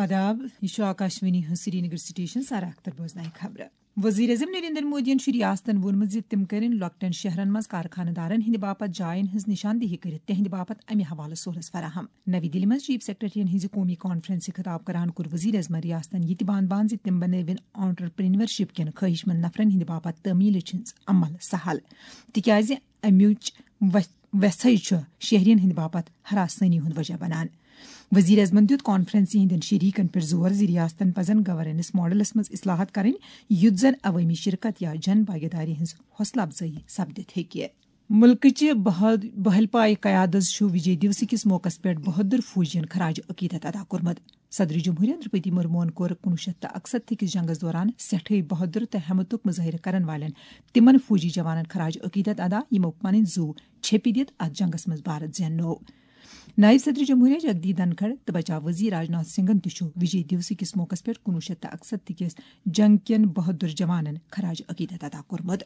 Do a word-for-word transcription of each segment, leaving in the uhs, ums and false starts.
آداب، یہِ چھُ آکاشوانی ہٕنٛز سرینگر سٹیشن۔ سارا اختر بوزنایہِ خبرٕ۔ وزیر اعظم نریندر مودیَن چھُ ریاستن ووٚنمُت زِ تِم کٔرِن لۄکٹٮ۪ن شہرن منٛز کارخانہٕ دارن ہٕنٛدِ باپتھ جاین ہٕنٛز نشاندہی کٔرِتھ تِہنٛدِ باپتھ امہِ حوالہٕ سہولژ فراہم۔ نوی دِلہِ منٛز چیف سیکرٹریَن ہٕنٛزِ قومی کانفرنسہِ خطاب کران کوٚر وزیر اعظمن ریاستن یہِ تہِ بان بان زِ تِم بنٲوِن آنٹرپرینورشپ کٮ۪ن خواہشمند نفرن ہٕنٛدِ باپتھ تعمیلٕچ ہٕنٛز عمل سہل، تِکیازِ امِچ وژھ-، وژھے چھُ شہرین ہٕنٛدِ باپتھ ہراسٲنی ہُنٛد وجہ بنان۔ وزیر اعظمن دیُت کانفرنسہِ ہٕنٛدٮ۪ن شریکن پٮ۪ٹھ زور زِ ریاستن پزن گورننس ماڈلس منٛز اصلاحات کرٕنۍ، یُتھ زن عوٲمی شرکت یا جن بھاگیداری ہٕنٛز حوصلہٕ افزٲیی سپدِتھ ہیٚکہِ۔ ملکٕچہِ بحال-، بحل پایہِ قیادس چھُ وجے دیوس کِس موقعس پٮ۪ٹھ بہادر فوجین خراج عقیدت ادا کوٚرمُت۔ صدر جمہوریہ درپتی مرموہن کوٚر کُنوُہ شیٚتھ تہٕ اکستتھ کِس جنگس دوران سٮ۪ٹھٕے بہادر تہٕ ہمتُک مظٲہرٕ کرن والٮ۪ن تِمن فوجی جوانن خراج عقیدت ادا، یِمو پنٕنۍ زُو چھیٚپہِ دِتھ اتھ جنگس منٛز بھارت زیننوو۔ نائب صدر جمہوریہ جگدیپ دھنکھڑ تہٕ بچاو وزیر راجناتھ سنگھن تہِ چھُ وجے دیوس کِس موقعس پٮ۪ٹھ کُنوُہ شیٚتھ تہٕ اکستتھ کِس جنگ کٮ۪ن بہادر جوانن خراج عقیدت ادا کوٚرمُت۔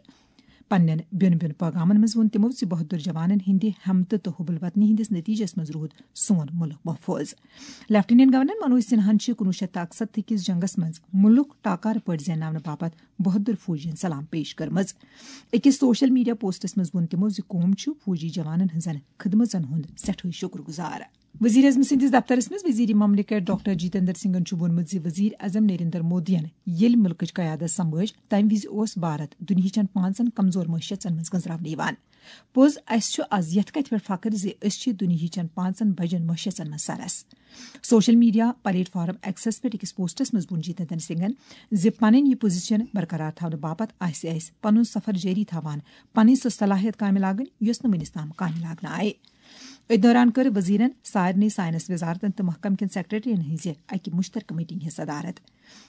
پننٮ۪ن بیوٚن بیوٚن پیغامن منٛز ووٚن تِمو زِ بہادر جوانن ہٕنٛدِ ہمتہٕ تہٕ حب الوطنی ہٕنٛدِس نتیجس منٛز روٗد سون مُلک محفوظ۔ لیفٹیننٹ گورنر منوج سنہاہن چھِ کُنوُہ شیٚتھ تہٕ اکستتھ کِس جنگس منٛز مُلک ٹاکارٕ پٲٹھۍ زینناونہٕ باپتھ بہادر فوجین سلام پیش کٔرمٕژ۔ أکِس سوشل میڈیا پوسٹس منٛز ووٚن تِمو زِ قوم چھُ فوجی جوانن ہٕنٛزن خدمژن ہُنٛد سٮ۪ٹھٕے شُکر گُزار۔ وزیر اعظم سٕنٛدِس دفترس منٛز وزیر مملکت ڈاکٹر جتیندر سنگھن چھُ ووٚنمُت زِ وزیر اعظم نریندر مودیَن ییٚلہِ مُلکٕچ قیادت سنبھٲج، تَمہِ وِزِ اوس بھارت دُنیاہٕچن پانٛژن کمزور معیشتن منٛز گٔنٛزراونہٕ یِوان۔ پوٚز، اسہِ چھُ از یتھ کتھِ پٮ۪ٹھ فخر زِ أسۍ چھِ دُنیاہٕچن پانٛژن بجن معیشتن منٛز سرس۔ سوشل میڈیا پلیٹ فارم ایکسس پٮ۪ٹھ أکِس پوسٹس منٛز ووٚن جتیندر سنگھن زِ پنٕنۍ یہِ پوزیشن برقرار تھاونہٕ باپتھ آسہِ اسہِ پنُن سفر جٲری تھاوان پنٕنۍ سۄ صلاحیت کامہِ لاگٕنۍ، یۄس نہٕ وُنِس تام کامہِ لاگنہٕ آیہِ۔ أتھۍ دوران کٔر وزیرن سارنٕے ساینس وزارتن تہٕ محکمہٕ کٮ۪ن سیکرٹریَن ہٕنٛزِ اکہِ مشترکہٕ میٹنگ ہٕنٛز صدارت۔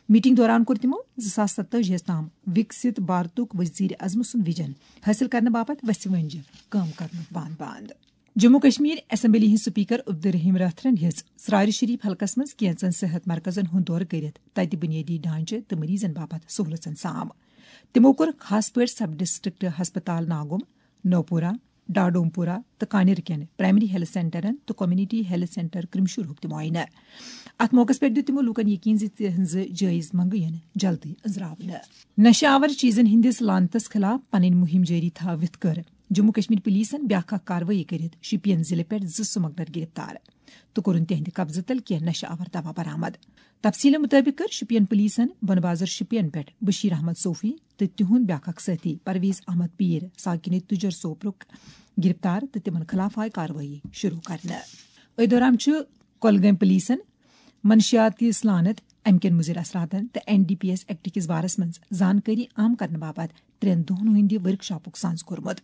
میٹنگ دوران کوٚر تِمو زٕ ساس ستٲجی ہَس تام وِکسِت بھارتُک وزیر اعظم سُنٛد ویژن حٲصِل کرنہٕ باپتھ وژھِ وٲنٛجہِ کٲم کرنُک بند بند۔ جموں کشمیر اسمبلی ہٕنٛدۍ سپیکر عبدالرحیم رٲتھرَن ہیٚژ ژرارِ شریف حلقس منٛز کینژن صحت مرکزن ہُنٛد دورٕ کٔرِتھ تتہِ بنیٲدی ڈھانچہٕ تہٕ مریضن باپتھ سہولژن سام۔ تِمو کوٚر خاص پٲٹھۍ سب ڈسٹرکٹ ہسپتال ناگوم، نوپورہ، ڈاڈومپورہ تہٕ کانیر کٮ۪ن پرائمری ہیلتھ سینٹرن تہٕ کمیونٹی ہیلتھ سینٹر کرمشورہُک تہِ معائنہٕ۔ اتھ موقعس پٮ۪ٹھ دیُت تِمو لوٗکن یقین زِ تِہنٛزٕ جٲیز منگہٕ یِن جلدی أنٛزراونہٕ۔ نشہٕ آور چیزن ہٕنٛدِس لعنتس خلاف پنٕنۍ مُہِم جٲری تھٲوِتھ کٔر جموں کشمیر پولیسن بیاکھ اکھ کاروٲیی کٔرِتھ شوپین ضلعہٕ پٮ۪ٹھ زٕ سمگلر گرفتار تہٕ کوٚرُن تِہنٛدِ قبضہٕ تل کینٛہہ نشہٕ آور دوا برآمد۔ تفصیلن مطٲبق کٔر شوپین پولیسن بۄنہٕ بازر شوپین پٮ۪ٹھ بشیر احمد صوفی تہٕ تِہُنٛد بیٛاکھ اکھ سٲتھی پرویز احمد پیٖر ساکِنہِ تُجر سوپرُک گرفتار تہٕ تِمن خلاف آیہِ کاروٲیی شروع کرنہٕ۔ أتھۍ دوران چھُ کۄلگٲمۍ پولیسن منشیاتی اصلانت، امہِ کٮ۪ن مُضِر اثراتن تہٕ N D P S act کِس بارس منٛز زانکٲری عام کرنہٕ باپتھ ترٛٮ۪ن دۄہن ہٕنٛدِ ورکشاپُک سانز کوٚرمُت۔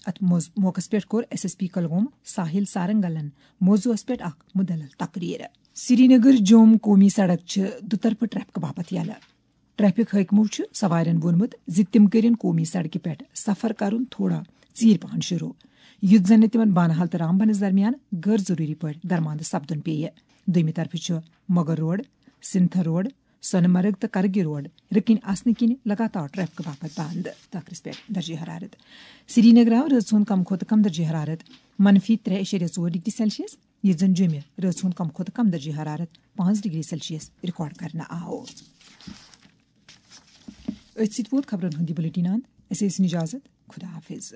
اتھ موز-، موقعس پٮ۪ٹھ کوٚر ایس ایس پی کۄلگوم ساحل سارنگلن موضوعس پٮ۪ٹھ اکھ مُدلل تقریر۔ سرینگر جوم قومی سڑک چھِ دُطرفہٕ ٹریفک باپتھ یلہٕ۔ ٹریفک حٲکمو چھُ سوارٮ۪ن ووٚنمُت زِ تِم کٔرِن قومی سڑکہِ پٮ۪ٹھ سفر کرُن تھوڑا ژیٖرۍ پہن شروع، یُتھ زن نہٕ تِمن بانہال تہٕ رامبنس درمیان غٲر ضروٗری پٲٹھۍ درماندٕ سپدُن پیٚیہِ۔ دوٚیمہِ طرفہٕ چھُ مغل روڈ، سنتھر روڈ، سۄنہٕ مرگ تہٕ کرگہِ روڈ رٕکٕنۍ آسنہٕ کِنۍ لگاتار ٹریفک باپتھ بند۔ ٲخرس پٮ۪ٹھ درجہ حرارت۔ سرینگر آو رٲژ ہُنٛد کم کھۄتہٕ کم درجہ حرارت منفی ترٛےٚ اعشاریہ ژور ڈگری سیلسیس، ییٚتہِ زن جوٚمہِ رٲژ ہُنٛد کم کھۄتہٕ کم درجہ حرارت پانٛژھ ڈگری سیلسیس ریکارڈ کرنہٕ آو۔ أتھۍ سۭتۍ ووت خبرن ہُنٛد یہِ بلیٹن اند۔ اسہِ ٲسِن اجازت۔ خدا حافظ۔